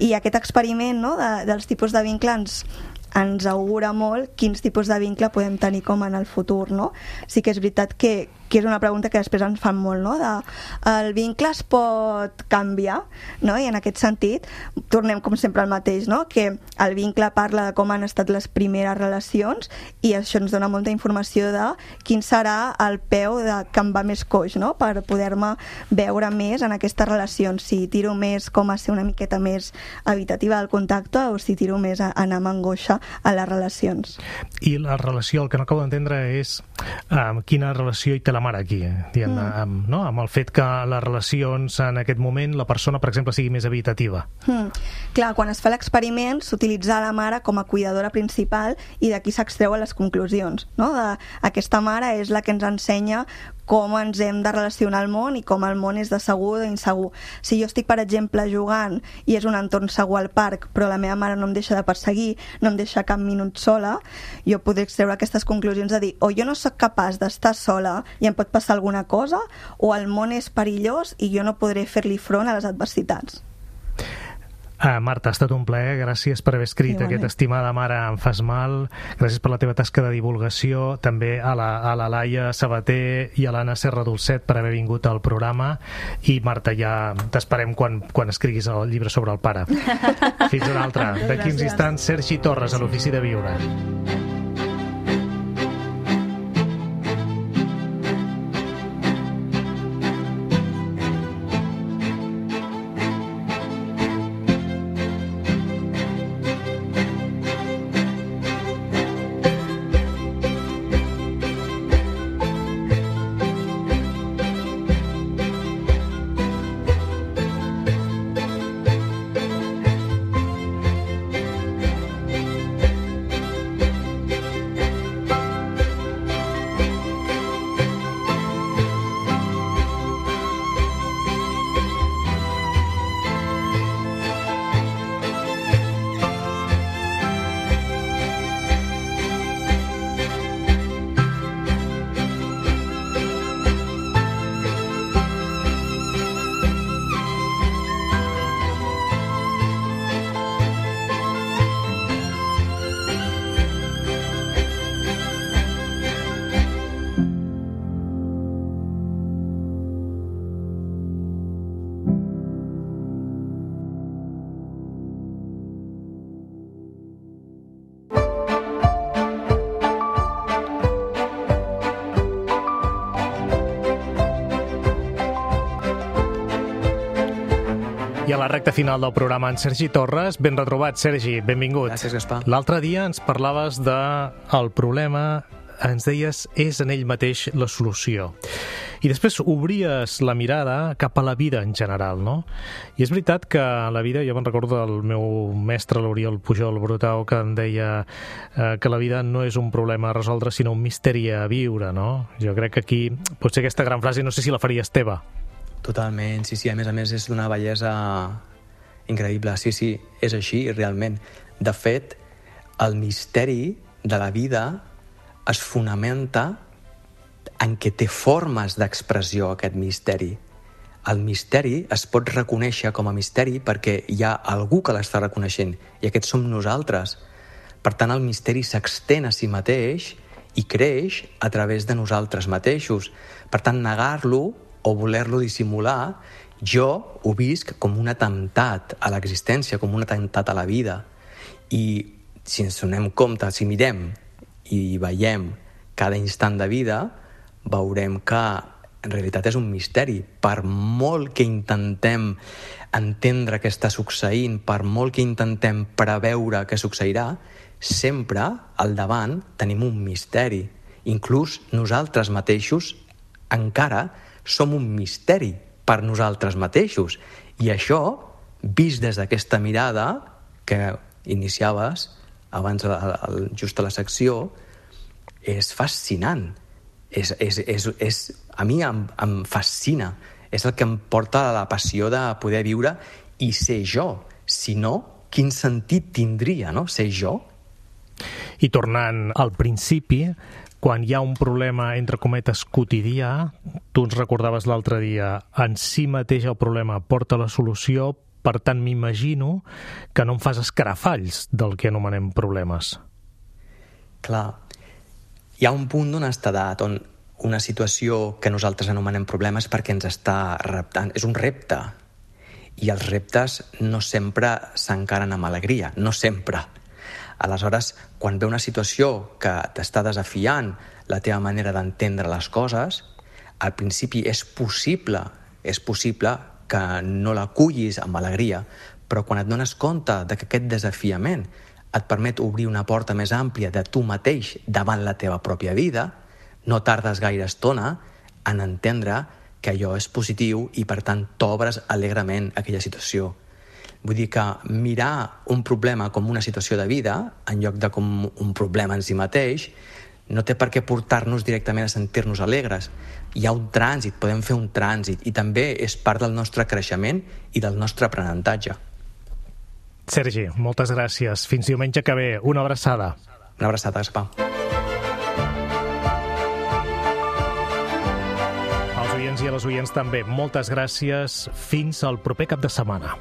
I aquest experiment, no? Dels tipus de vincle ens augura molt quins tipus de vincle podem tenir com en el futur, no? Sí que és veritat que és una pregunta que després ens fan molt, no? El vincle es pot canviar, no? I en aquest sentit tornem com sempre al mateix, no? Que el vincle parla de com han estat les primeres relacions i això ens dona molta informació de quin serà el peu que em va més coix, no? Per poder-me veure més en aquestes relacions, si tiro més com a ser una miqueta més evitativa del contacte o si tiro més a anar amb angoixa a les relacions.
I la relació, el que no acabo d'entendre és quina relació hi té la mare aquí, no? Amb el fet que les relacions en aquest moment la persona, per exemple, sigui més evitativa.
Clar, quan es fa l'experiment s'utilitza la mare com a cuidadora principal i d'aquí s'extreuen les conclusions, no? Aquesta mare és la que ens ensenya com ens hem de relacionar al món i com el món és de segur o d'insegur. Si jo estic, per exemple, jugant i és un entorn segur al parc, però la meva mare no em deixa de perseguir, no em deixa cap minut sola, jo podré extreure aquestes conclusions de dir o jo no sóc capaç d'estar sola i em pot passar alguna cosa, o el món és perillós i jo no podré fer-li front a les adversitats.
Marta, ha estat un plaer, gràcies per haver escrit aquest Estimada mare, em fas mal, gràcies per la teva tasca de divulgació, també a la Laia Sabater i a l'Anna Serra Dolcet per haver vingut al programa, i Marta, ja t'esperem quan escriguis el llibre sobre el pare. Fins una altra. D'aquí uns instants, Sergi Torres, a l'Ofici de Viure. I a la recta final del programa, en Sergi Torres. Ben retrobat, Sergi, benvingut.
Gràcies, Gaspar.
L'altre dia ens parlaves del problema, ens deies, és en ell mateix la solució. I després obries la mirada cap a la vida en general, no? I és veritat que la vida, jo me'n recordo del meu mestre, l'Oriol Pujol Brutau, que em deia que la vida no és un problema a resoldre, sinó un misteri a viure, no? Jo crec que aquí potser aquesta gran frase, no sé si la faries teva.
Totalment, sí, a més és d'una bellesa increïble. Sí, és així, realment. De fet, el misteri de la vida es fonamenta en què té formes d'expressió, aquest misteri. El misteri es pot reconèixer com a misteri perquè hi ha algú que l'està reconeixent, i aquest som nosaltres. Per tant, el misteri s'extén a si mateix i creix a través de nosaltres mateixos. Per tant, negar-lo o voler-lo dissimular, jo ho visc com un atemptat a l'existència, com un atemptat a la vida. I si ens donem compte, si mirem i veiem cada instant de vida, veurem que en realitat és un misteri. Per molt que intentem entendre què està succeint, per molt que intentem preveure què succeirà, sempre al davant tenim un misteri. Inclús nosaltres mateixos encara som un misteri per nosaltres mateixos. I això, vist des d'aquesta mirada que iniciaves abans, just a la secció, és fascinant. A mi em fascina. És el que em porta a la passió de poder viure i ser jo. Si no, quin sentit tindria, no?, ser jo?
I tornant al principi, quan hi ha un problema, entre cometes, quotidià, tu ens recordaves l'altre dia, en si mateix el problema porta la solució, per tant m'imagino que no em fas escarafalls del que anomenem problemes.
Clar, hi ha un punt d'una edat on una situació que nosaltres anomenem problemes perquè ens està reptant, és un repte, i els reptes no sempre s'encaren amb alegria, no sempre. Aleshores, quan ve una situació que t'està desafiant la teva manera d'entendre les coses, al principi és possible que no l'acullis amb alegria, però quan et dones compte de que aquest desafiament et permet obrir una porta més àmplia de tu mateix davant la teva pròpia vida, no tardes gaire estona en entendre que allò és positiu i, per tant, t'obres alegrement a aquella situació. Vull dir que mirar un problema com una situació de vida, en lloc de com un problema en si mateix, no té per què portar-nos directament a sentir-nos alegres. Hi ha un trànsit, podem fer un trànsit, i també és part del nostre creixement i del nostre aprenentatge.
Sergi, moltes gràcies. Fins diumenge que ve. Una abraçada.
Una abraçada, Gaspar.
Als oients i a les oients també, moltes gràcies. Fins al proper cap de setmana.